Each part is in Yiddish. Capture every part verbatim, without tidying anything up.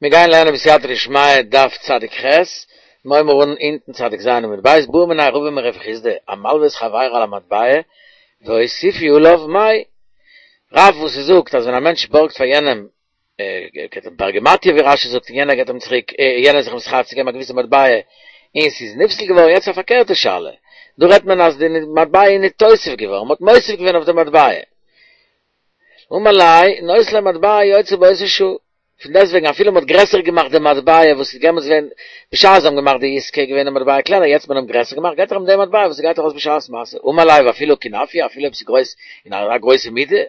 מיר גייען לערנען בסייעתא דשמיא דף צדיק ח', מיר הייבן אן אונטן צדיק ז' עמוד ב', בעא מיניה רבא מרב חסדא, המלווה את חברו על המטבע והוסיפו עליו מאי. רב וואס ס'זאגט אז ווען א מענטש בארגט פאר יענעם פרגמטיא ווי רשי זאגט און יענער געבט אים צוריק, יענער איז זיך מתחייב צו געבן א געוויסע מטבע און ס'איז נפסל געווארן, יעצט א פארקערטע שאלה, דא רעדט מען אז די מטבע איז ניתוסף געווארן, מ'האט מוסיף געווען אויף די מטבע. אמר ליה, נותן לו מטבע היוצא באותה שעה. פון דעסטוועגן אפילו מ'האט גרעסער געמאכט די מטבע וואס איז דעמאלטס געווען בשעת זיי האבן געמאכט די עסקה איז געווען די מטבע קלענער יעצט מען האט גרעסער געמאכט געט ער אים די מטבע וואס ס'גייט ארויס בשעת מעשה אמר ליה ואפילו כנפיא אפילו אויב ס'איז גרויס אין אזא גרויסע מידה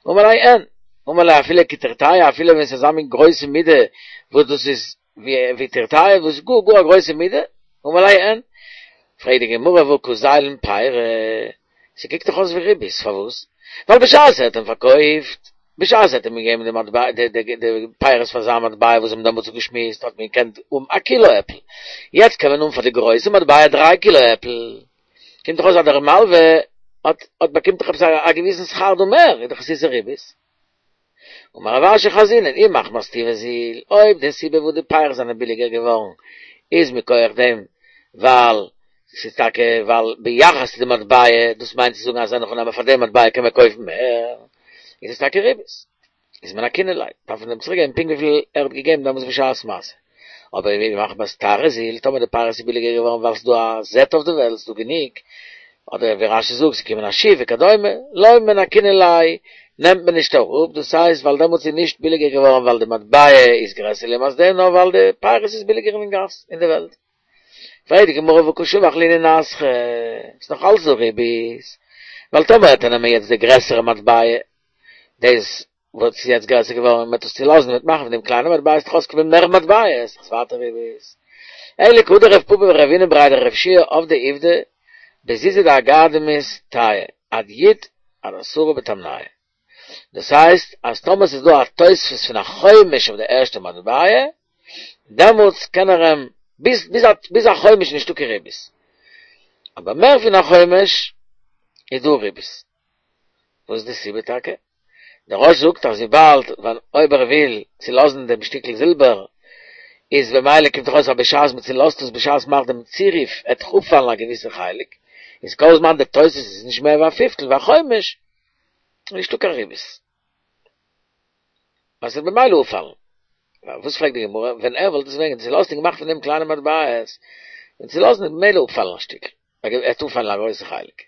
אמר ליה אין אמר ליה אפילו כתרטיא אפילו ווען ס'איז אזא מין גרויסע מידה וואס דאס איז ווי תרטיא וואס איז גאר גאר א גרויסע מידה אמר ליה אין פרעגט די גמרא והא קא זיילין פירי ס'קוקט דאך אויס ווי ריבית פארוואס ווייל בשעת ער האט אים פארקויפט בשעת ער האט אים געגעבן די מטבע די די די פירות פאר זיין מטבע וואס זיי האבן דעמאלטס אפגעשמועסט האט מען געקענט האבן א קילא עפל, יעצט קען מען האבן פאר די גרויסע מטבע דריי קילא עפל, קומט דאך אויס אז דער מלווה האט האט באקומט דאך עפעס א געוויסן שכר דא מער, איז דאך עס איז ריבית. אמר רב אשי חזינן אי מחמת טיבא זיל, אויב די סיבה וואס די פירות זענען ביליגער געווארן איז מכח דעם ווייל ס'איז טאקע ווייל ביחס צו די מטבע, דאס מיינט צו זאגן אז אין הכי נמי פאר די מטבע קען מען קויפן מער, איז עס טאקע ריבית. איז מנכינן ליה, דארף מען אים צוריק געבן פונקט וויפיל ער האט געגעבן דעמאלטס בשעת מעשה. אבער אי מחמת תרא זיל, טאמער די פירות איז ביליגער געווארן ווייל ס'איז דא א זעט אויף די וועלט, ס'איז דא גענוג, אדער ווי רשי זאגט ס'איז געקומען א שיף וכדומה, לא מנכינן ליה, נעמט מען נישט אראפ, דאס הייסט ווייל דעמאלטס איז נישט ביליגער געווארן ווייל די מטבע איז גרעסער לעומת דעם נאר ווייל די פירות איז ביליגער אין גאס אין די וועלט. פרעגט די גמרא והא קא שבח לינהו נסכא, ס'איז נאך אלץ דא ריבית, ווייל טאמער וועט ער נעמען יעצט די גרעסערע מטבע, דאס וואס איז יעצט גרעסער געווארן, און מ'וועט עס צולאזן און מ'וועט מאכן פון דעם קליינע מטבע, וועט דאך אויסקומען מער מטבעות, איז דאך ווייטער ריבית. אלא כהא דרב פפא ורבינא בריה דרב יהושע עבדי עובדא בזוזא דאגרקדמותאי עד יו"ד עד עשרה בתמנייהו. דאס הייסט אז טאמער ס'איז דא א תוספת פון א חומש אויף די ערשטע מטבע, דעמאלטס קען ער אים, ביז ביז ביז א חומש איז נישטא קיין ריבית, אבער מער פון א חומש איז דא ריבית. וואס איז די סיבה טאקע? דער רא"ש זאגט אז וויבאלד ווען אויב ער וויל צולאזן דעם שטיקל זילבער איז במילא קומט דאך אויס אז בשעת מען צולאזט עס בשעת מ'מאכט דעם צירוף עט דאך אפפאלן א געוויסע חלק, איז כל זמן די תוספת איז נישט מער ווי א פיפטל ווי א חומש איז נישטא קיין ריבית. ווייל ס'וועט במילא אפפאלן. וואס פרעגט די גמרא, ווען ער וואלט עס ווען צולאזט און געמאכט פון דעם קליינע מטבעות, ווען צולאזן וועט במילא אפפאלן א שטיקל, עט אפפאלן א גרויסע חלק.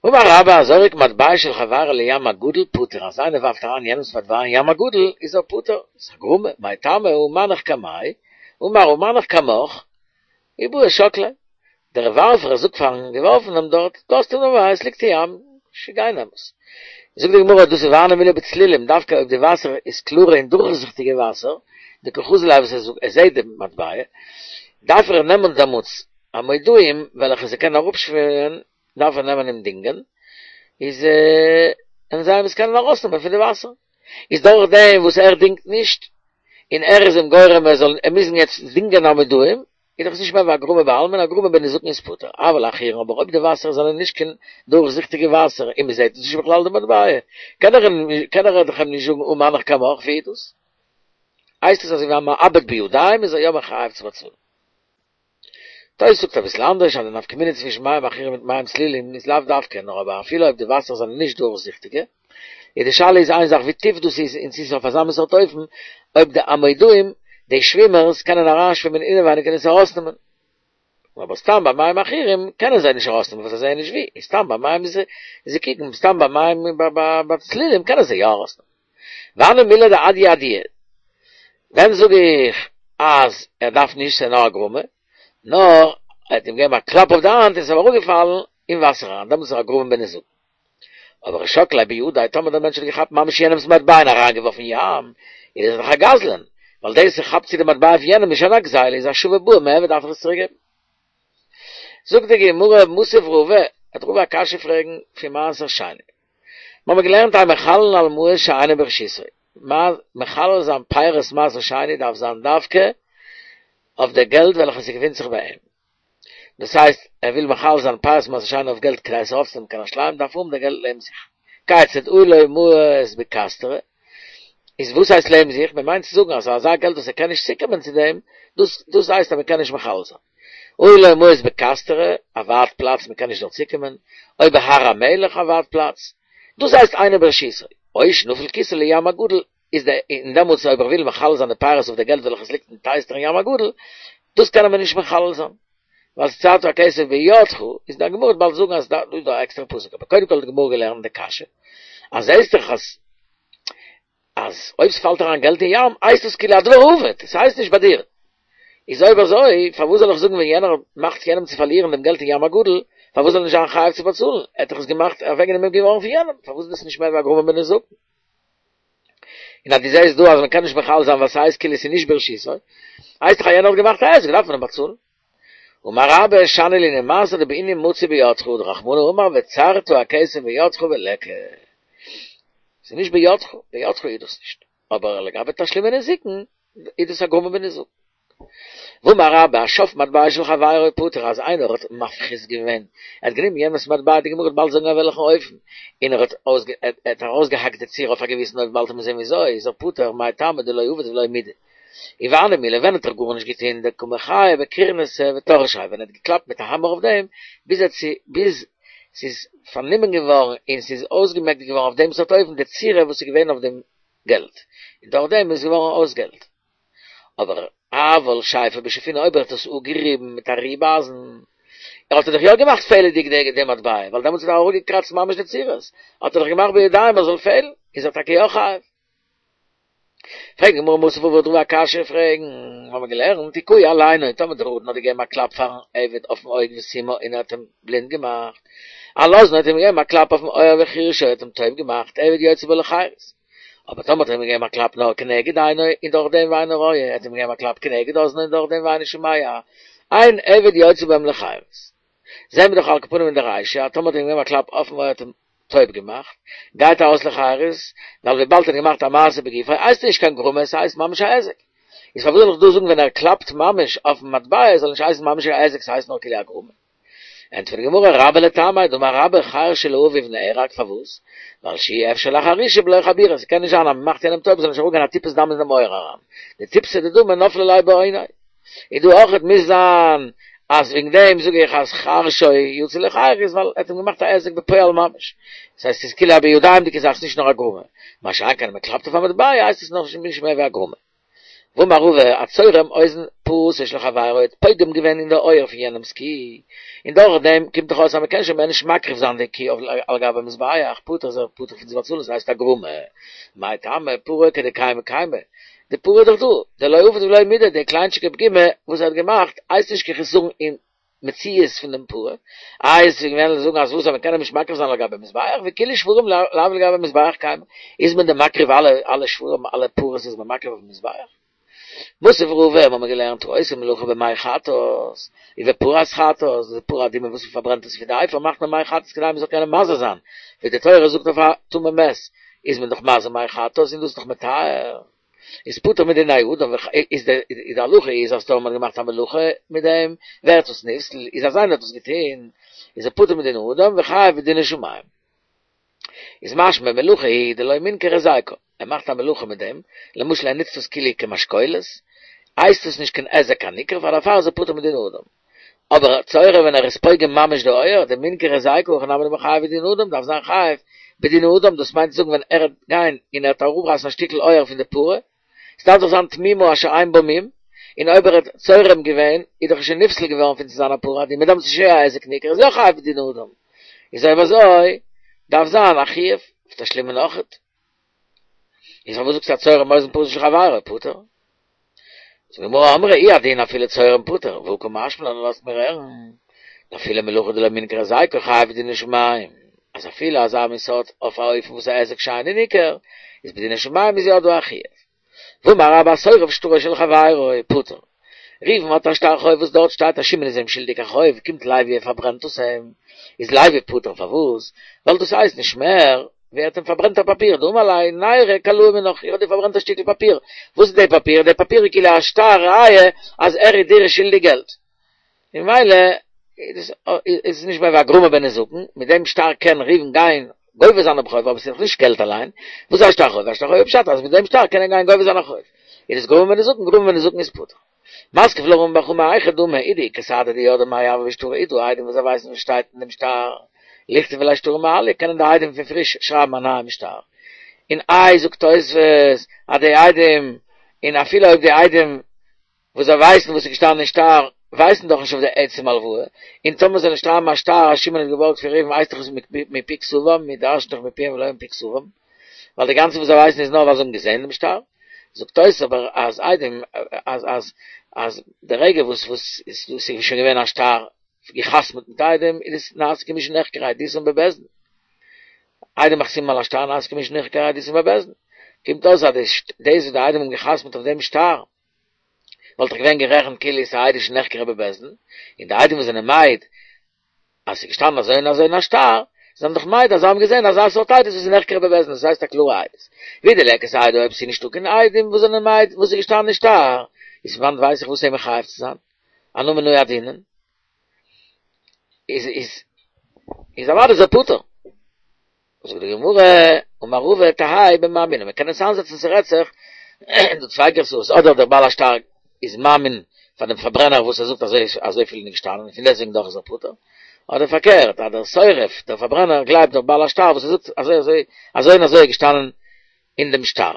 אמר רבה הזורק מטבע של חברו לים הגדול פטור, אז איינער ווארפט אריין יענעמס מטבע אין ים הגדול איז ער פטור, ס'איז א גרמא, מאי טעמא הא מנח קמיה, אמר הא מנח קמך, אי בעי שקליה, דער ווארפער זאגט פארן געווארפענעם דארט, דא האסטו מטבע, עס ליגט אין ים, גיי נעם עס. זאגט די גמרא, דאס איז והני מילי בצלילים, דווקא אויב די וואסער איז קלארע און דורכזיכטיגע וואסער, דקא חזי ליה וואס ער זעט די מטבע, דארף ער נעמען דעמאלטס אמודאים וועלכע זיי קענען אראפשווימען, דארף ער נעמען אים דינגען, איז און זיי עס קענען ארויסנעמען פון די וואסער, איז דורך דעם וואס ער דינגט נישט, און ער איז אים גורם ער זאל מוזן יעצט דינגען אמודאים, איז דאך עס נישט מער ווי א גרמא בעלמא און א גרמא בנזקין איז פטור, אבל עכורין אבער אויב די וואסער זענען נישט קיין דורכזיכטיגע וואסער און מען זעט עס נישט בכלל די מטבע, קען ער קען ער דאך אים נישט זאגן הא מנח קמך ווי איז דאס? הייסט עס אזוי ווי א מאבד בידיים איז ער יא מחויב צו באצאלן. תוס' זאגט אביסל אנדערש אז די נפקא מינה צווישן מים עכורים מיט מים צלילים איז לאו דווקא נאר אבער אפילו אויב די וואסער זענען נישט דורכזיכטיגע איז די שאלה איז איין זאך ווי טיף דאס איז און צו ס'איז אויף אזא מין סארט אופן אויב די אמודאים די שווימערס קענען אריינשווימען אינעווייניג און עס ארויסנעמען אבער סתם ביי מים עכורים קענען זיי נישט ארויסנעמען ווייל זיי זעען נישט ווי און סתם ביי מים זיי קוקן סתם ביי מים ביי צלילים קענען זיי יא ארויסנעמען. והני מילי דאדייה אדויי ווען זאג איך אז ער דארף נישט ס'איז נאר א גרמא נאר ער האט אים געגעבן א קלאפ אויף די האנט און ס'איז אים אראפגעפאלן אין וואסער אריין דעמאלטס איז ער א גרמא בנזקין. אבער שקליה בידיה טאמער דער מענטש האט געכאפט ממש יענעמס מטבע און אריינגעווארפן אין ים איז ער דאך א גזלן ווייל דאס ער כאפט צו די מטבע פון יענעם איז שוין א גזילה איז השבה בעי מיעבד דארף ער עס צוריק געבן. זאגט די גמרא מתיב רבא, וועט רבא א קשיא פרעגן פון מעשר שני. מיר האבן געלערנט אין מחללין על מעות שאינן ברשותו, מחלל זיין פירות מעשר שני דארף זיין דווקא אויף די געלט וועלכע ס'געפינט זיך ביי אים, דאס הייסט ער וויל מחלל זיין פירות מעשר שני אויף געלט כדי עס ארויפצונעמען קיין ירושלים דארף ער האבן די געלט לעבן זיך, כיצד היו לו מעות בכסתרי, איז וואס הייסט לעבן זיך? מען מיינט צו זאגן אז אזא געלט וואס ער קען נישט צוקומען צו דעם, דאס דאס הייסט אז מען קען נישט מחלל זיין. או לו מעות בקסטרא, א ווייט פלאץ מען קען נישט דארט צוקומען, או בהר המלך א ווייט פלאץ, דאס הייסט אינו ברשותו. או שנפל כיסו לים הגדול, איז די און דעמאלטס אויב ער וויל מחלל זיין די פירות אויף די געלט וועלכעס ליגט אין טייסטער אין ים הגדול, דאס קען מען נישט מחלל זיין. ווייל וצרת הכסף בידך, איז די גמרא וועט באלד זאגן אז דא איז דא א עקסטערע פסוק, אבער קודם כל האט די גמרא געלערנט די קשיא, אז זעהסט דאך אז אז אויב ס'פאלט אריין געלט אין ים הייסט עס כאילו א דבר האבד, ס'הייסט נישט ביי דיר. איז אויב אזוי פארוואס זאל איך זאגן ווען יענער מאכט יענעם צו פארלירן דעם געלט אין ים הגדול, פארוואס זאל ער נישט זיין חייב צו באצאלן, ער האט דאך עס געמאכט אוועקגענומען געווארן פון יענעם, פארוואס איז דאס נישט מער ווי א גרמא בנזקין? און אז דו זעהסט דא אז מ'קען נישט מחלל זיין ווייל ס'הייסט כאילו ס'איז נישט ברשותו, הייסט דאך אז יענער האט געמאכט א היזק דארף מען אים באצאלן. אמר רבה שאני לענין מעשר דבעינן מצוי בידך דרחמנא אמר וצרת הכסף בידך וליכא. ס'איז נישט בידך, בידך איז דאס נישט. אבער לגבי תשלומי נזיקין איז דאס א גרמא בנזקין. ואמר רבה השף מטבע של חברו פטור אז איינער האט מפחית געווען, ער האט גענומען יענעמס מטבע, די גמרא וועט באלד זאגן אויף וועלכן אופן, און ער האט ער האט ארויסגעהאקט די צורה אויף א געוויסן אופן באלד וועט מען זען וויאזוי, איז ער פטור, מאי טעמא דלא עביד ולא מידי. והני מילי ווען האט ער גארנישט געטון דקא מחי בקורנסא וטרשיה ווען ער האט געקלאפט מיט א האמער אויף דעם ביז ער ביז ס'איז פארנומען געווארן און ס'איז אויסגעמעקט געווארן אויף דעם סארט אופן די צורה וואס איז געווען אויף דעם געלט און דורך דעם איז געווארן אויס געלט. אבער אבל שייפיה בשופינא אויב ער האט עס אפגעריבן מיט א ריב אייזן ער האט ער דאך יא געמאכט פעלעדיג די מטבע ווייל דעמאלטס האט ער אראפגעקראצט ממש די צורות האט ער דאך געמאכט בידיים עס זאל פעלן איז ער טאקע יא חייב. פרעגט די גמרא מתיב רבא וועט רבא א קשיא פרעגן, האבן מיר געלערנט הכהו על עינו, טאמער דער אדון האט געגעבן א קלאפ פארן עבד אויפן אויג וסימאה און ער האט אים בלינד געמאכט, על אזנו האט אים געגעבן א קלאפ אויפן אויער וחירשו האט אים טויב געמאכט, עבד יוצא בו לחירות. אבער טאמער האט ער אים געגעבן א קלאפ נאר כנגד עינו און דורך דעם ואינו רואה, ער האט אים געגעבן א קלאפ כנגד אזנו און דורך דעם ואינו שומע, אין עבד יוצא בהם לחירות. זעהן מיר דאך על כל פנים אין די רישא אז טאמער האט ער אים געגעבן א קלאפ אויפן אויער האט אים טויב געמאכט, גייט ארויס לחירות, ווייל וויבאלד ער האט געמאכט א מעשה בגופו הייסט עס נישט קיין גרמא עס הייסט ממש א היזק. איז פארוואס זאל איך דא זאגן ווען ער קלאפט ממש אויפן מטבע זאל נישט הייסן ממש א היזק ס'הייסט נאר כאילו א גרמא. ענטפערט די גמרא רבה לטעמיה דאמר רבה חרשו לאביו נהרג פארוואס? ווייל שאי אפשר לחרישה בלא חבורה ס'קען נישט זיין אז מ'מאכט יענעם טויב זאל נישט אראפגיין א טיפת דם אין דעם אויער אריין דטיפתא דדמא נפלה ליה בעוניה. איז דא אויכעט מוז זיין אז וועגן דעם זאג איך אז חרשו יצא לחירות ווייל ער האט אים געמאכט א היזק בפועל ממש, דאס הייסט ס'איז כאילו א בידיים'דיגע זאך ס'נישט נאר א גרמא, מה שאין כן אז מ'קלאפט אויף א מטבע הייסט עס נאך נישט מער ווי א גרמא. ואמר רבא הצורם אוזן פרתו של חברו האט פוגם געווען אין די אויער פון יענעמ'ס קי, און דורך דעם קומט דאך אויס אז מ'קען שוין מער נישט מקריב זיין די קי אויף על גבי מזבח, פטור איז ער פטור פון צו באצאלן ס'הייסט א גרמא, מאי טעמא פרה כדקיימא קיימא, די פרה איז דאך דא, דלא עביד ולא מידי, די קליינטשיגע פגימה וואס ער האט געמאכט הייסט נישט קיין חסרון אין מציאות פון דעם פרה, איי עס איז געווען זאגן אז וואס אז מען קען אים נישט מקריב זיין על גבי מזבח, וכולהו שוורים לאו לגבי מזבח קיימי, איז מען דען מקריב אלע אלע שוורים אלע פרות איז מען מקריב אויפן מזבח? מתיב רבא האבן מיר געלערנט העושה מלאכה במי חטאת, ובפרת חטאת, די פרה אדומה וואס מען פארברענט עס פון די אפר מאכט מען מי חטאת כדי מען זאל קענען מזה זיין, ווי די תורה זאגט אויף א טמא מת איז מען דאך מזה מי חטאת און דאס איז דאך מטהר. איז פטור מדיני אדם איז די די הלכה איז אז טאמער מ'האט געמאכט א מלאכה מיט דעם ווערט עס נפסל איז אז איינער האט עס געטוהן איז ער פטור מדיני אדם וחייב בדיני שמים איז משמע מלאכה היא דלא מינכר היזקא ער מאכט א מלאכה מיט דעם למשל ער נוצט עס כאילו כמשקולת הייסט עס נישט קיין היזק הניכר פאר דערפאר איז ער פטור מדיני אדם אבער צורם ווען ער איז פוגם ממש די אויער, דמינכר היזקא הכי נמי דמיחייב בדיני אדם דארף זיין חייב בדיני אדם דאס מיינט צו זאגן ווען ער וועט גיין און ער וועט אראפרייסן א שטיקל אויער פון די פרה, ס'דארף דאך זיין תמימה אשר אין בה מום, און אויב ער האט צורם געווען איז דאך שוין נפסל געווארן פון צו זיין א פרה אדומה דעמאלטס איז שוין יא א היזק ניכר איז יא חייב בדיני אדם, איז אויב אזוי דארף זיין א חיוב אויף תשלומין אויכעט. איז פארוואס זאגסטו הצורם אוזן פרתו של חברו פטור? זאגט די גמרא אמרי הוא הדין אפילו צורם פטור, והא קא משמע לן לאזט מיר הערן, דאפילו מלאכה דלא מינכר היזקא חייב בדיני שמים, אז אפילו אזא מין סארט אויף א אופן וואס א היזק שאינו ניכר, איז בדיני שמים איז יא דא א חיוב. ואמר רבה השורף שטרו של חברו פטור. ראובן האט א שטר חוב וואס דארט שטייט אז שמעון איז אים שולדיג א חוב, קומט לוי ער פארברענט עס אים, איז לוי פטור פארוואס? ווייל דאס הייסט נישט מער ווי ער האט אים פארברענט א פאפיר, דאמר ליה ניירא קלאי מינך, איך האב דיר פארברענט א שטיקל פאפיר, וואס איז די פאפיר? די פאפיר איז כאילו א שטר ראיה אז ער איז דיר שולדיג געלט, ממילא איז עס נישט מער ווי א גרמא בנזקין, מיט דעם שטר קען ראובן גיין גובה זיין דעם חוב, אבער ס'איז דאך נישט געלט אליין. וואס איז א שטר חוב? א שטר חוב איז פשט אז מיט דעם שטר קען ער גיין גובה זיין א חוב. איז עס גרמא בנזקין, גרמא בנזקין איז פטור. מתקיף לה רמי בר חמא היכי דמי אי דאיכא סהדי דידעי מאי הוה בשטרא איז דא עדים וואס זיי ווייסן וואס שטייט אין דעם שטר, ליכתבו ליה שטרא מעליא, קענען די עדים פון פריש שרייבן א נייעם שטר. און איי זאגט תוספות אז די עדים, און אפילו אויב די עדים וואס זיי ווייסן וואס איז געשטאנען אין שטר, ווייסן דאך נישט אויף די עצם הלוואה, און טאמער זאל ער שרייבן א שטר אז שמעון האט געבארגט פון ראובן הייסט דאך עס מפי כתבם, מיר דרש'ן דאך מפיהם ולא מפי כתבם, ווייל די גאנצע וואס זיי ווייסן איז נאר ווייל זיי האבן געזען דעם שטר. זאגט תוס' אבער אז עדים אז אז אז די רגע וואס וואס עס איז שוין געווען א שטר געחתמעט מיט עדים איז עס נעשה כמי שנחקרה עדותן בבית דין. עדים החתומים על השטר נעשה כמי שנחקרה עדותן בבית דין. קומט אויס אז דאס וואס די עדים האבן געחתמעט אויף דעם שטר וואלט דאך געווען גערעכנט כאילו עס איז א עדות שנחקרה בבית דין, און די עדים וואס זענען מעיד אז ס'איז געשטאנען אזוי און אזוי אין א שטר, זענען דאך מעיד אז זיי האבן געזען אזא סארט עדות וואס איז נחקרה בבית דין, דאס הייסט א קלארע עדות. ואי דליכא סהדי אויב ס'איז נישטא קיין עדים וואס זענען מעיד וואס איז געשטאנען אין שטר, איז פון וואנט ווייס איך וואס אים מחייב צו זיין? אנא מנא ידעינן? איז איז איז אוודאי איז ער פטור. זאגט די גמרא, אמר רבא תהא במאמינו, מען קען עס איינזעצן ס'רעדט זיך דא צוויי גרסאות, אדער דער בעל השטר איז מאמין פאר דעם פארברענער וואס ער זאגט אזוי אזויפיל איז נישט געשטאנען און פון דעסטוועגן דאך איז ער פטור, אדער פארקערט אז דער שורף, דער פארברענער גלייבט דער בעל השטר וואס ער זאגט אזוי אזוי אזוי און אזוי איז געשטאנען אין דעם שטר,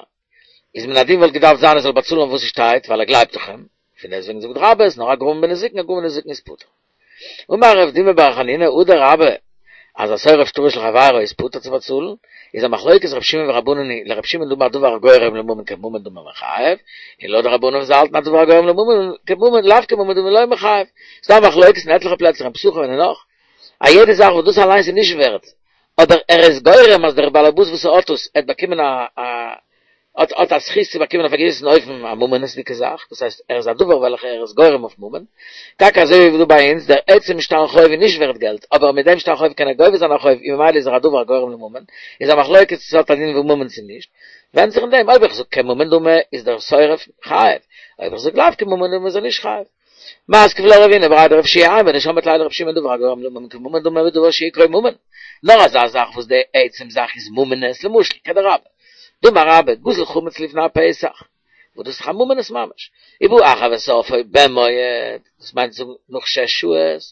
איז מן הדין וואלט געדארפט זיין ער זאל באצאלן וואס ס'שטייט ווייל ער גלייבט דאך אים, פון דעסטוועגן זאגט רבה איז נאר א גרמא בנזיקין, א גרמא בנזיקין איז פטור. אמר רב דימי בר חנינא הדר רבה אז השורף שטרו של חברו איז פטור צו באצאלן, איז א מחלוקת רב שמעון ורבנן היא, לרב שמעון דאמר דבר הגורם לממון כממון דמי מחייב, און לויט די רבנן וואס האלטן אז דבר הגורם לממון כממון לאו כממון דמי לא מחייב. ס'דא א מחלוקת אין עטליכע פלעצער אין פסחים און אין נאך, א יעדע זאך וואס דאס אליינס איז נישט ווערט, אבער ער איז גורם אז דער בעל הבית וואס האט עס עט באקומען א א האט האט א זכות צו באקומען אויף א געוויסן אופן א ממונות'דיגע זאך, דאס הייסט ער איז א דבר וועלכע ער איז גורם אויף ממון, טאקע אזוי ווי דא ביי אונז, דער עצם שטר חוב איז נישט ווערט געלט, אבער מיט דעם שטר חוב קען ער גובה זיין א חוב און ממילא איז ער א דבר הגורם לממון, איז א מחלוקת צו ס'האט א דין ווי ממון צו נישט, ווענדט זיך אין דעם, אויב איך זאג כממון דמי איז דער שורף חייב, אויב איך זאג לאו כממון דמי איז ער נישט חייב. מתקיף לה רבינא בריה דרב יהושע אימור דשמעת ליה לרב שמעון דבר הגורם לממון כממון דמי בדבר שעיקרו ממון, נאר אזא זאך וואס די עצם זאך איז ממונות, למשל כדרבה דאמר רבה גזל חמץ לפני הפסח, וואס דאס איז דאך א ממונות ממש, ובא אחר ושרפו במועד, דאס מיינט זאגן נאך שש שעות,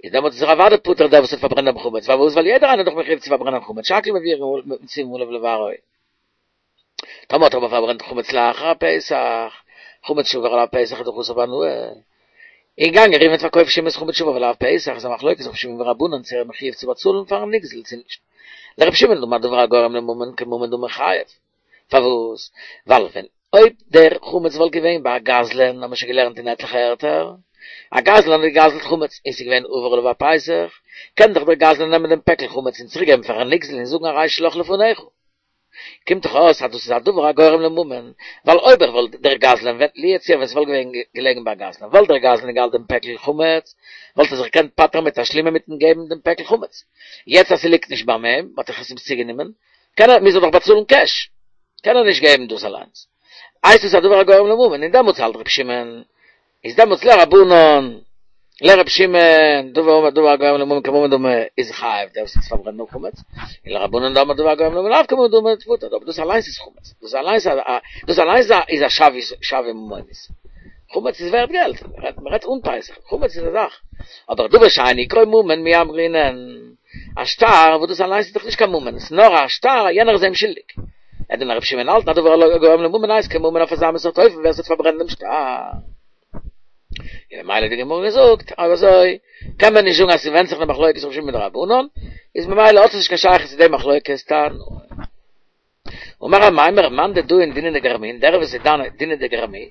איז דעמאלט איז ער אוודאי פטור דער וואס האט פארברענט דעם חמץ, פארוואס ווייל יעדער איינער איז דאך מחויב צו פארברענען חמץ, שהכל מציבין עליו לבערו. טאמער האט ער אבער פארברענט חמץ לאחר הפסח, חמץ שעבר עליו פסח איז דאך אסור בהנאה. איז געגאנגען ראובן האט פארקויפט שמעון'ס חמץ שעבר עליו פסח, איז א מחלוקת רבי שמעון ורבנן צו ער איז מחויב צו באצאלן פארן נגזל צו נישט. לרבי שמעון דאמר דבר הגורם לממון כממון דמי חייב. פארוואס? ווייל ווען אויב דער חמץ וואלט געווען ביי א גזלן, האבן מיר שוין געלערנט אין עטליכע ערטער, א גזלן האט געגזלט חמץ און ס'איז געווען עבר עליו הפסח, קען דאך דער גזלן נעמען דעם פעקל חמץ און צוריקגעבן פארן נגזל און זאגן הרי שלך לפניך. קומט דאך אויס אז דאס איז א דבר הגורם לממון, ווייל אויב ער וואלט דער גזלן ווען לו יצויר ווען ס'וואלט געווען געלעגן ביי א גזלן וואלט דער גזלן געהאלטן דעם פעקל חמץ, וואלט ער זיך געקענט פטר'ן מיט תשלומין מיטן געבן דעם פעקל חמץ. יעצט אז ס'ליגט נישט ביים אים, מ'האט דאך עס אים צוגענומען, קען ער, מוז ער דאך באצאלן קעש, קען ער נישט געבן דאס אליינס. הייסט עס א דבר הגורם לממון, און דעמאלטס האלט ר' שמעון איז דעמאלטס לרבנן, לר' שמעון, דבר דבר הגורם לממון כממון דמי איז חייב דער וואס האט פארברענט דעם חמץ, און לרבנן דאמרי דבר הגורם לממון לאו כממון דמי איז פטור, אבער דאס אליינס איז חמץ, דאס אליינס דאס אליינס איז א שווי שווי ממונית, חמץ איז ווערט געלט, מען רעדט אן פסח, חמץ איז א זאך, אבער דבר שאין עיקרו ממון מי אמרינן, א שטר וואס דאס אליינס איז דאך נישט קיין ממון, עס איז נאר א שטר, יענער איז אים שולדיג. וועט דען ר' שמעון האלטן א דבר הגורם לממון הייסט כממון אויף אזא מין סארט אופן ווער ס'האט פארברענט דעם שטר. און ממילא האט די גמרא געזאגט אויב אזוי קען מען נישט זאגן אז ס'ווענדט זיך אין די מחלוקת ר' שמעון מיט די רבנן, איז ממילא האט עס נישט קיין שייכות צו די מחלוקת תנאים. אמר אמימר מאן דדאין דינא דגרמי, דער וואס איז דן דינא דגרמי,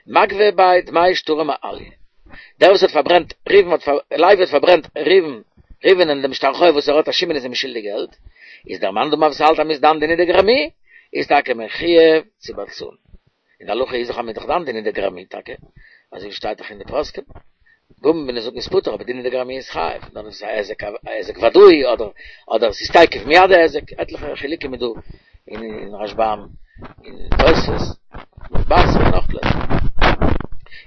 מגבי ביה דמי שטרא מעליא. דער וואס האט פארברענט ראובן האט לוי האט פארברענט ראובן ראובן'ען דעם שטר חוב וואס ער האט אז שמעון איז אים שולדיג געלט, איז דער מאן דאמר וואס האלט אז מ'איז דן דינא דגרמי, איז טאקע מחויב צו באצאלן. און די הלכה איז דאך אז מ'איז דאך דן דינא דגרמי טאקע, אזוי ווי שטייט דאך אין די פוסקים, גרמא בנזקין איז פטור אבער דינא דגרמי איז חייב, נאר דאס איז א היזק א היזק ודאי אדער אדער ס'איז תיכף מיד היזק, עטליכע חילוקים איז דא אין רשב"ם אין תוספות, בבא בתרא און נאך פלעצער.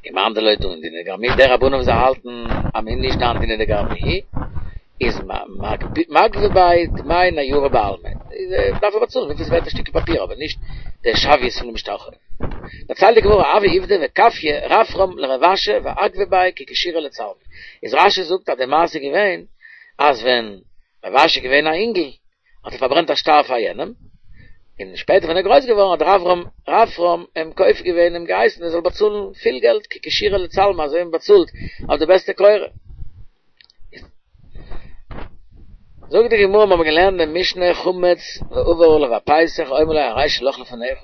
און מאן דלא דן דינא דגרמי, די רבנן וואס זיי האלטן אז מ'איז נישט דן דינא דגרמי, איז מגבי ביה דמי ניירא בעלמא. דארף ער באצאלן וויפיל ס'ווערט א שטיקל פאפיר אבער נישט די שוויות פונעם שטר חוב. דערציילט די גמרא הוה עובדא וכפייה רפרם לרב אשי ואגבי ביה כי כשירא לצלמא. איז רשי זאגט אז די מעשה איז געווען אז ווען רב אשי איז געווען א אינגל האט ער פארברענט א שטר פאר יענעם, און שפעטער ווען ער איז גרויס געווארן האט רפרם רפרם אים כופה געווען אים געהייסן ער זאל באצאלן פיל געלט כי כשירא לצלמא אזוי ווי מען באצאלט אויף די בעסטע קורה. זאגט די גמרא מיר האבן געלערנט אין משנה חמץ ועבר עליו הפסח אומר לו הרי שלך לפניך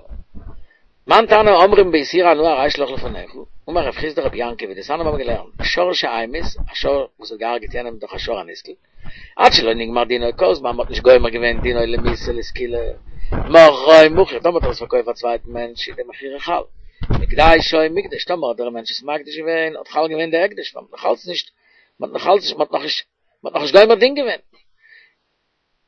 מאן תנא אומרים באיסור הנאה הרי שלך לפניך אמר רב חסדא רבי יעקב דתניא מיר האבן געלערנט שור שהמית א שור וואס האט געהארגעט יענעם דורך א שור הנסקל עד שלא נגמר דינו כל זמן מ'האט נישט גומר געווען דינו למיתה לסקילה מכרו מכור טאמער האט ער עס פארקויפט פאר א צווייטן מענטש איז די מכירה חל הקדישו מוקדש טאמער האט דער מענטש עס מקדיש געווען האט חל געווען די הקדש ווייל מ'האט נאכאלץ נישט מ'האט נאכאלץ נישט מ'האט נאכנישט מ'האט נאכנישט גומר דין געווען.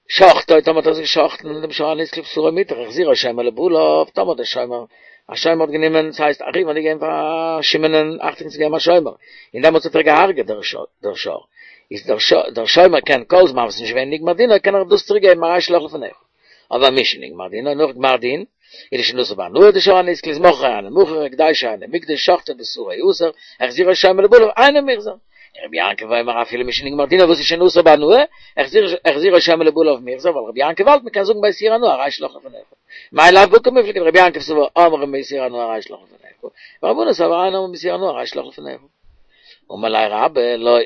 שחטו, טאמער האט ער עס געשחט'ן דעם שור הנסקל בשרו מותר, החזירו שומר לבעליו, טאמער דער שומר, א שומר האט גענומען, ס'הייסט א ראובן האט געגעבן פאר שמעונ'ען אכטונג צו געבן א שומר, און דעמאלטס האט ער געהארגעט דער שור, איז דער שומר קען כל זמן וואס ס'איז נישט געווען נגמר דינו קען ער דאס צוריק געבן הרי שלך לפניך. אבער משנגמר דינו נאך גמר דין, איז שוין אסור בהנאה די שור הנסקל איז מכרו אינו מכור הקדישו אינו מוקדש שחטו בשרו אסור החזירו שומר לבעליו אינו מוחזר. רבי יעקב אומר אפילו משנגמר דינו וואס איז שוין אסור בהנאה, החזירו שומר לבעליו מוחזר, ווייל רבי יעקב האלט מ'קען זאגן באיסור הנאה הרי שלך לפניך. מאי לאו בהא קמיפלגי דרבי יעקב סבר אומרים באיסור הנאה הרי שלך לפניך, ורבנן סברי אין אומרים באיסור הנאה הרי שלך לפניך. אמר ליה רבה לא.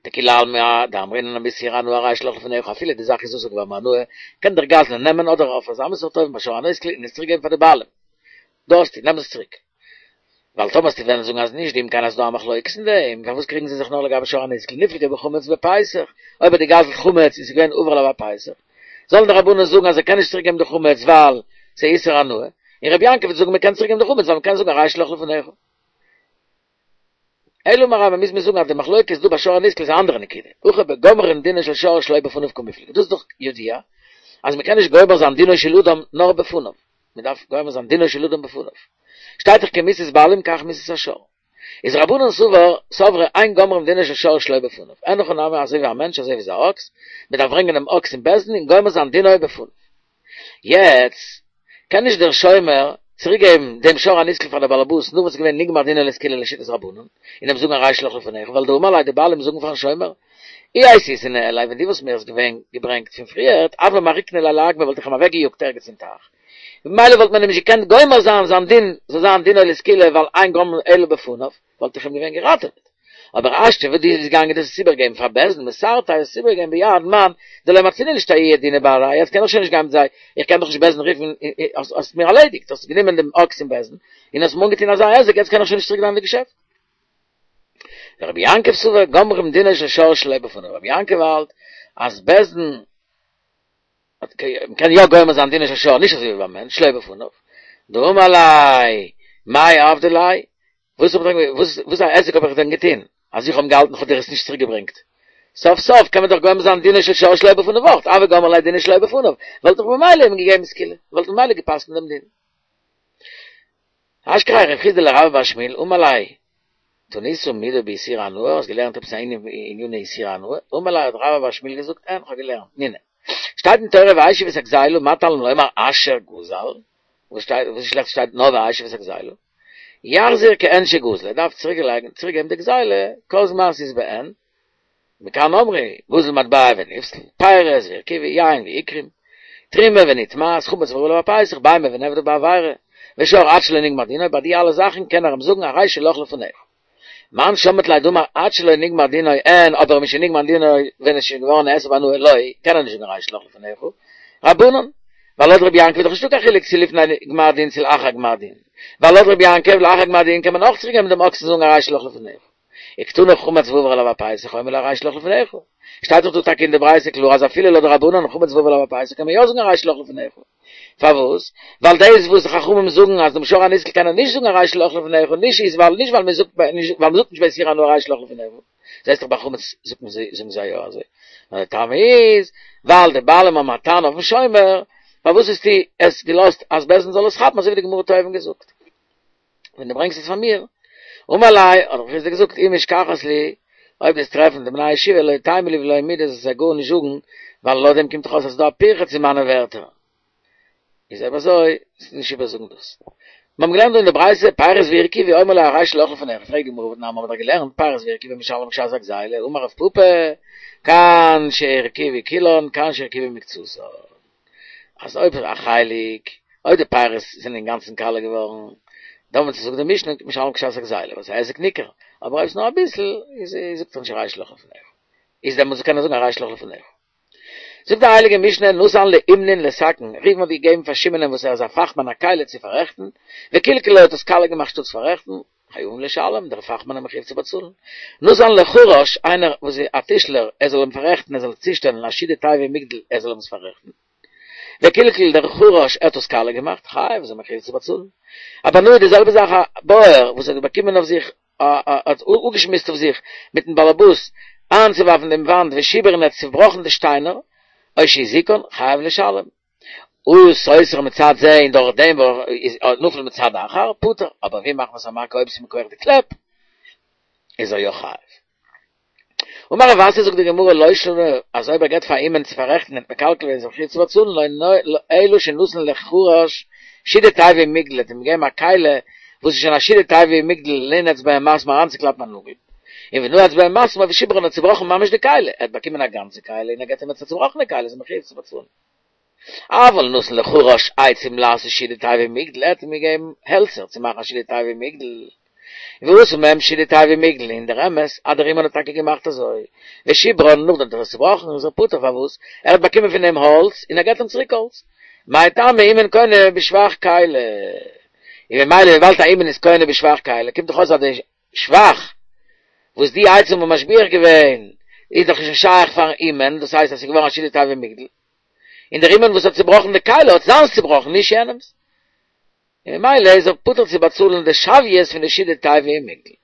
דכולי עלמא דאמרינן באיסור הנאה הרי שלך לפניך אפילו די זאך איז אסור געווארן בהנאה, קען דער גזלן נעמען אדער אויף אזא סארט אופן ביי שור הנסקל און עס צוריק געבן פאר די בעלים. דא האסטו, נעם עס צוריק. ווייל טאמער וועסטו וועלן זאגן אז נישט דאם כן אז ס'דא א מחלוקת אין דעם, פארוואס קריגן זיי זיך נאר לגבי שור הנסקל ניפלגו בחמץ בפסח, אויב האט ער געגזלט חמץ און ס'איז געווען עובר עליו הפסח, זאלן די רבנן זאגן אז ער קען נישט צוריק געבן די חמץ ווייל ס'איז איסור הנאה, און רבי יעקב וועט זאגן מ'קען צוריק געבן די חמץ ווייל מ'קען זאגן הרי שלך לפניך. אלא אמר רבה מוז מען זאגן אז די מחלוקת דא ביי שור הנסקל איז א אנדערע נקודה, הכא בגומרין דינו של שור שלא בפניו קמיפלגי, דאס איז דאך ידוע אז מ'קען נישט גומר זיין דינו של אדם נאר בפניו, מ'דארף גומר זיין דינו של אדם בפניו. שטייט דאך כמיתת בעלים כך מיתת השור. איז רבנן סבר סברי אין גומרים דינו של שור שלא בפניו. אין הכי נמי אזוי ווי א מענטש אזוי ווי איז א אקס, מען דארף ברענגען דעם אקס אין בית דין און גומר זיין דינו בפניו. יעצט קען נישט דער שומר צוריק געבן דעם שור הנסקל פאר דער בעלעבאס נאך וואס איז געווען נגמר דינו לסקילה לשיטת רבנן, און אים זאגן הרי שלך לפניך, ווייל דאמר ליה די בעלים זאגן פארן שומר, אי אייתיתיה ניהלי ווען דו וואלסט מיר עס געווען געברענגט פון פריערט, הוה מעריקנא ליה לאגמא וואלט איך אים אוועקגעיאגט ערגעץ אין טייך, ממילא וואלט מען אים נישט געקענט גומר זיין זיין דין זאל זיין דינו לסקילה ווייל אין גומרין אלא בפניו, וואלט איך אים געווען געראטעוועט. אבער השתא וואס דו ביסט געגאנגען דאס עס איבערגעבן פאר בית דין מסרתיה האסט עס איבערגעגעבן ביד מאן דלא מצינא לאשתעויי דינא בהדייהו יעצט קען איך שוין נישט גיין מיט זיי, איך קען דאך נישט בית דין רופן האסט מיר ארלעדיגט, האסט גענומען דעם אקס אין בית דין און האסט מיר אנגעטון אזא היזק יעצט קען איך שוין נישט צוריק גיין אין די געשעפט. ורבי יעקב סבר גומרים דינו של שור שלא בפניו, רבי יעקב האלט אז בית דין מ'קען יא גומר זיין דינו של שור נישט אזוי ווי ביים מענטש שלא בפניו, דאמר ליה מאי עבדי ליה, וואס האב איך וואס וואס א עסק האב איך דען געטון אז איך האב געהאלטן איך האב דיר עס נישט צוריק געברענגט, סוף סוף קען מען דאך גומר זיין דינו של שור שלא בפניו אויך, הוה גמרי ליה דינו שלא בפניו, וואלט איך במילא אים געגעבן סקילה, וואלט ממילא געפסקנט דעם דין. אשכחיה רב חסדא לרבה בר שמואל אמר ליה תנית מידי באיסור הנאה, האסט געלערנט עפעס א ענין בעניני איסור הנאה? אמר ליה האט רבה בר שמואל געזאגט אין כ'האב געלערנט תנינא שטייט אין תורה והשיב את הגזילה מה תלמוד לומר אשר גזל וואס שטייט וואס איז שלעכט שטייט נאר והשיב את הגזילה יחזיר כעין שגזל ער דארף צוריק לייגן צוריק געבן די גזילה כל זמן ס'איז בעין מכאן אמרו, גזל מטבע ונפסל, פירות והרקיבו, יין והקרים, תרומה ונטמאת, חמץ ועבר עליו הפסח, בהמה ונעבדה בעבירה, ושור עד שלא נגמר דינו, ביי די אלע זאכן קען ער אים זאגן הרי שלך לפניך. מאן שמעת ליה דאמר עד שלא נגמר דינו אין, אבער משנגמר דינו ווען עס איז שוין געווארן נאסר בהנאה לא, קען ער נישט זאגן הרי שלך לפניך. רבנן, ווייל לויט רבי יעקב איז דאך נישטא קיין חילוק צו לפני גמר דין צו לאחר גמר דין, ווייל לויט רבי יעקב לאחר גמר דין קען מען אויך צוריק געבן דעם אקס און זאגן הרי שלך לפניך. וקתני חמץ ועבר עליו הפסח אומר לו הרי שלך לפניך. שטייט דאך דא טאקע אין די ברייתא קלאר אז אפילו לויט די רבנן חמץ ועבר עליו הפסח קען מען יא זאגן הרי שלך לפניך. פארוואס? ווייל דאס וואס די חכמים זאגן אז דעם שור הנסקל קען ער נישט זאגן הרי שלך לפניך נישט איז ווייל נישט ווייל מען זאגט ווייל מען זאגט נישט באיסור הנאה הרי שלך לפניך. זעסט דאך ביי חמץ זאגט מען זאגן זיי יא אזוי. נאר די טעם איז ווייל די בעלים האבן א טענה אויפן שומר פארוואס האסטו עס געלאזט אז בית דין זאל עס כאפן אזוי ווי די גמרא האט אויבן געזאגט. ווען דו ברענגסט עס פאר מיר, אמר ליה, האט רב חסדא געזאגט, אי משכחת לי, אויב דו'סט טרעפן די בני הישיבה לא תימא לי ולא מידי זאלסט זיי גארנישט זאגן, ווייל לויט דעם קומט דאך אויס אז ס'איז דא א פירכא צו מיינע ווערטער. איז אויב אזוי, זאלסטו נישט איבערזאגן דאס. מיר האבן געלערנט דא אין די ברייתא, פירות והרקיבו אומר לו הרי שלך לפניך, פרעגט די גמרא והתנן מיר האבן דאך געלערנט פירות והרקיבו משלם כשעת הגזילה, אמר רב פפא, כאן שהרקיבו כולן, כאן שהרקיבו מקצתן. אז אויב א חלק, אויב די פירות זענען אינגאנצן קאלע געווארן, דאמאלטס זאגט די משנה משלם כשעת הגזילה, ווייל ס'איז א היזק ניכר, אבער אויב ס'איז נאר אביסל, איז זאגט ער נישט הרי שלך לפניך. איז דעמאלטס קען ער זאגן הרי שלך לפניך. זאגט די הייליגע משנה נתן לאומנין לתקן, ראובן האט געגעבן פאר שמעונ'ען וואס ער איז א פאכמאן א כלי צו פאררעכטן, וקלקלה האט עס קאלע געמאכט שטאטס פאררעכטן, חייבין לשלם, דער פאכמאן איז מחויב צו באצאלן. נתן לחרש, איינער וואס איז א טישלער, ער זאל אים פאררעכטן, ער זאל צושטעלן א שידה תיבה ומגדל, ער זאל אים עס פאררעכטן. וקלקל דער חרש, ער האט עס קאלע געמאכט, חייב, איז ער מחויב צו באצאלן. א בנאי די זעלבע זאך א בויער וואס האט באקומען אויף זיך האט אפגעשמועסט אויף זיך מיטן באלעבאס איינצואווארפן דעם וואנט ושיבר און ער האט צובראכן די שטיינער, או שהזיקן, חייב לשלם. עשה סותר מצד זה און דורך דעם איז נפל מצד אחר, פטור, אבער ואם מחמת המכה אויב ס'איז מכח די קלעפ, איז ער יא חייב. אמר רב אסי זאגט די גמרא לא שנו אז אויב ער געבט פאר אומן צו פאררעכטן און מקלקל געווען איז ער מחויב צו באצאלן אלא שנתן לחרש שידה תיבה ומגדל האט אים געגעבן א כלי וואס איז שוין א שידה תיבה ומגדל לנעוץ בהם מסמר אריינצוקלאפן א נאגל און ונעץ בהם מסמר ושיברן האט צובראכן ממש די כלי ער האט באקומען א גאנצע כלי און ער געבט אים יעצט א צובראכענע כלי איז ער מחויב צו באצאלן. אבל נתן לחרש עצים לעשות שידה תיבה ומגדל ער האט אים געגעבן העלצער צו מאכן א שידה תיבה ומגדל ועשה מהם שידה תיבה ומגדל, און דער אמת אז דער אומן האט טאקע געמאכט אזוי, ושיברן, נאכדעם האט ער עס צובראכן, איז ער פטור, פארוואס? ער האט באקומען פון אים האלץ, און ער געט אים צוריק האלץ. מאי טעמא אומן קונה בשבח כלי. און ממילא וויבאלד א אומן איז קונה בשבח כלי, קומט דאך אויס אז די שבח וואס די עצים האבן משביח געווען, איז דאך נישט שייך פארן אומן, דאס הייסט אז ס'איז געווארן א שידה תיבה ומגדל. און דער אומן וואס האט צובראכן די כלי האט זיינס צובראכן, נישט יענעמס. און ממילא איז ער פטור צו באצאלן די שוויות פון די שידה תיבה ומגדל.